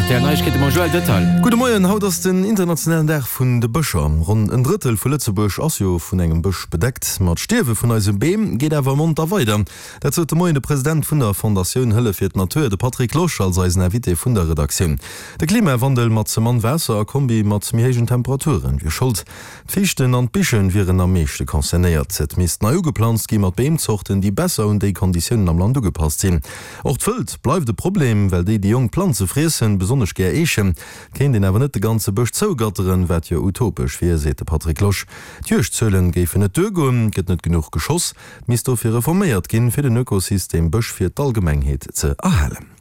Rtl Neiegkeete mam Joël Detail. Gudde Moien, haut ass den internationalen Dag vun de Bëscher. Ronn en Drëttel vu Lëtzebuerg ass jo vun engem Bësch bedeckt. Ma d'Stierwe vun eise Beem geet awer monter weider. Dat sot de Moien de President vun der Fondatioun Hëllef fir d'Natur, de Patrick Losch, als eisen Invité vun der Redaktioun. De Klimawandel mat ze mann Waasser a Kombi mat méi héijen Temperaturen wier Schold. D'Fiichten an d'Bichen wieren am meeschte concernéiert. Et misst nei ugeplanzt gi mat Beemzorten, déi besser un déi Konditiounen am Land ugepasst sinn. Och d'Wëld bleift e Problem, well déi déi jonk Planze friessen, besonnesch gär Eechen. Et kéint een awer net de ganze Bësch zougatteren, wat jo utopesch wier, seet de Patrick Losch. D'Juegdzuelen géifen net duergoen, et gëtt net genuch geschoss. Et misst dofir reforméiert ginn, fir den Ökosystem Bësch fir d'Allgemengheet ze erhalen.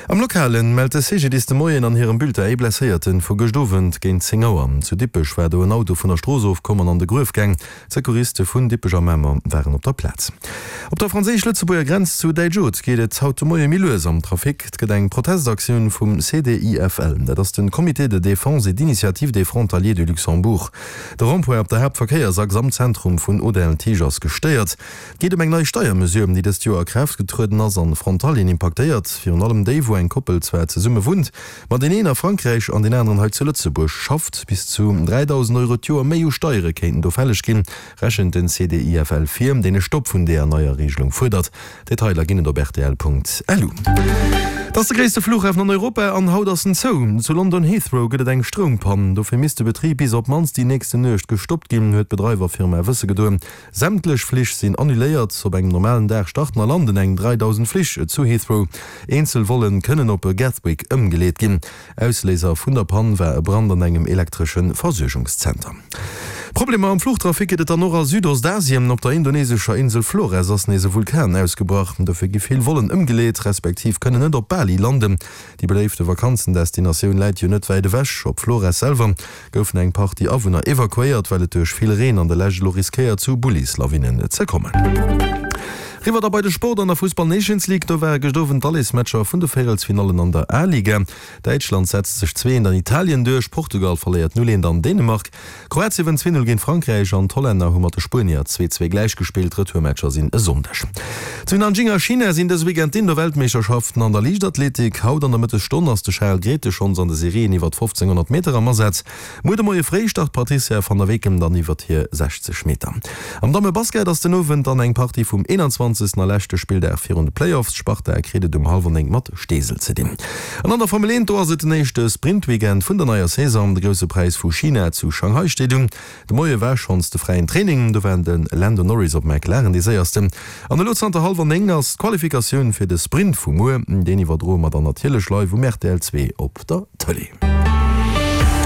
Am Lokalen mellt de CGDIS de Moien an hirem Bulletin ee Blesséierten vu gëscht Owend géint 10 Auer. Zu Dippech war do en Auto vun der Strooss ofkomm an an de Gruef gaang. D'Secouriste vun Dippech a Mamer waren op der Plaz. Op der franséisch-lëtzebuerger Grenz zu Däitsch-Oth geet et haut de Moie méi lues am Trafic. Et gëtt eng Protestaktioun vum CDIFL, dat ass de Comité de défense et d'initiative des frontaliers du Luxembourg. De Rond-point op der Haaptverkéiersachs am Zentrum vun Audun-le-Tiche ass gestéiert. Et geet ëm eng nei Steiermesure, déi dëst Joer a Kraaft getrueden ass an Frontalieren impaktéiert, virun allem déi, wou eng Koppel zwar zesumme wunnt, ma deen een a Frankräich an deen aneren hei zu Lëtzebuerg schafft. Bis zu 3.000 Euro d'Joer méi u Steiere kéinten do fälleg ginn, rechent den CDIFL vir, deen e Stopp vun deeër neier Regelung fuerdert. Detailer ginn et op rtl.lu. Et ass de gréisste Flughafen an Europa an haut ass en zou. Zu London Heathrow gëtt et eng Stroumpann. Dofir misst de Betrib bis op d'mannst déi nächsten Nuecht gestoppt ginn, huet d'Bedreiwerfirma wësse gedoen. Sämtlech Flich sinn annuléiert. Op engem normalen Dag starten a landen eng 3.000 Flich zu Heathrow. Eenzel Vollen kënnen op Gatwick ëmgeleet ginn. Ausléiser vun der Pann war e Brand an engem elektresche Versuergungszenter. Problemer am Fluchtrafic gëtt et dann och a Südostasien. Op der indonesescher Insel Flores ass nees e Vulkan ausgebrach. Dofir gi vill Vollen ëmgeleet, respektiv kënnen net op Bali landen. Déi beléifte Vakanzendestinatioun läit jo net wäit ewech. Op Flores selwer goufen eng Partie Awunner evakuéiert, well et duerch vill Reen an der Lescht elo riskéiert zu Bullislawinnen ze kommen. Riwwer da bei de Sport an der Fussball Nations League. Do ware gëscht Owend d'Allesmatcher vun de Véierelsfinallen an der A-Liga. Däitschland setzt sech 2 eent an Italien duerch, Portugal verléiert 0 eent an Dänemark, Kroatien wënnt 2 0 géint Frankräich an d'Hollänner hu mat de Spuenier 2 2 gläichgespillt. Retourmatcher sinn e Sonndeg. Zu Nanjing a China sinn dëse Weekend d'Indoor-Weltmeeschterschaften an der Liichtathletik. Haut an der Mëttesstonn ass de Charel Grethe schonns an de Serien iwwert 1500 Meter am Asaz. Muer de Moie fréi start d'Patricia van der Weken dann iwwert hir 60 Meter. Am Damme-Basket ass den Owend dann eng Partie vum 21. a leschte Spilldag virun de Playoffs. D'Sparta kritt et um hallwer 9 mat Steesel ze dinn. An an der Formel 1, do ass et den éischte Sprint-Weekend vun der neier Saison. De Grousse Präis vu China zu Shanghai steet un. De Moie war schonns de fräien Training, do war de Lando Norris op McLaren dee séiersten. An elo zanter hallwer 9 ass d'Qualifikatioun fir de Sprint vu muer. Deen iwwerdroe mer dann natierlech live um rtl 2 op der Tëlee.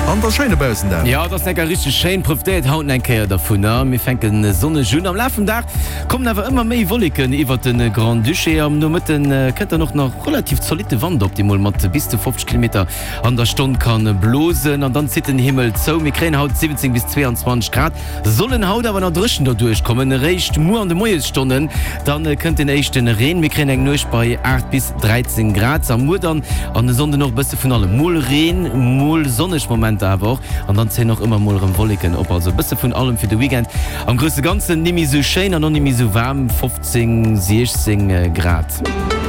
An et ass schéin dobaussen, Dan. Jo, et ass enker richteg schéin. Profitéiert haut eng Kéier dervunner. Mir fänke sonneg un. Am Laf vum Dag kommen awer ëmmer méi Wolleken iwwert de Grand-Duché. Am Nomëtte kënnt dann och nach relativ zolitte Wand op, dee mol mat bis zu 50 Kilometer an der Stonn kann blosen an dann zitt den Himmel zou. Mir kréien haut 17 bis 22 Grad, sollen haut awer nach dréchen derduerch kommen. Eréischt muer an de Moiesstonnen dann kënnt den éischten Reen. Mir kréien eng Nuecht bei 8 bis 13 Grad a muer dann an e Sonnden och e bësse vun allem, mol Reen, mol sonneg Momenter awer och an dann zéien och ëmmer mol erëm Wolleken op. Also e bësse vun allem fir de Weekend. Am grousse Ganzen nimmi sou schéin an och nimmi sou waarm, 15, 16 Grad.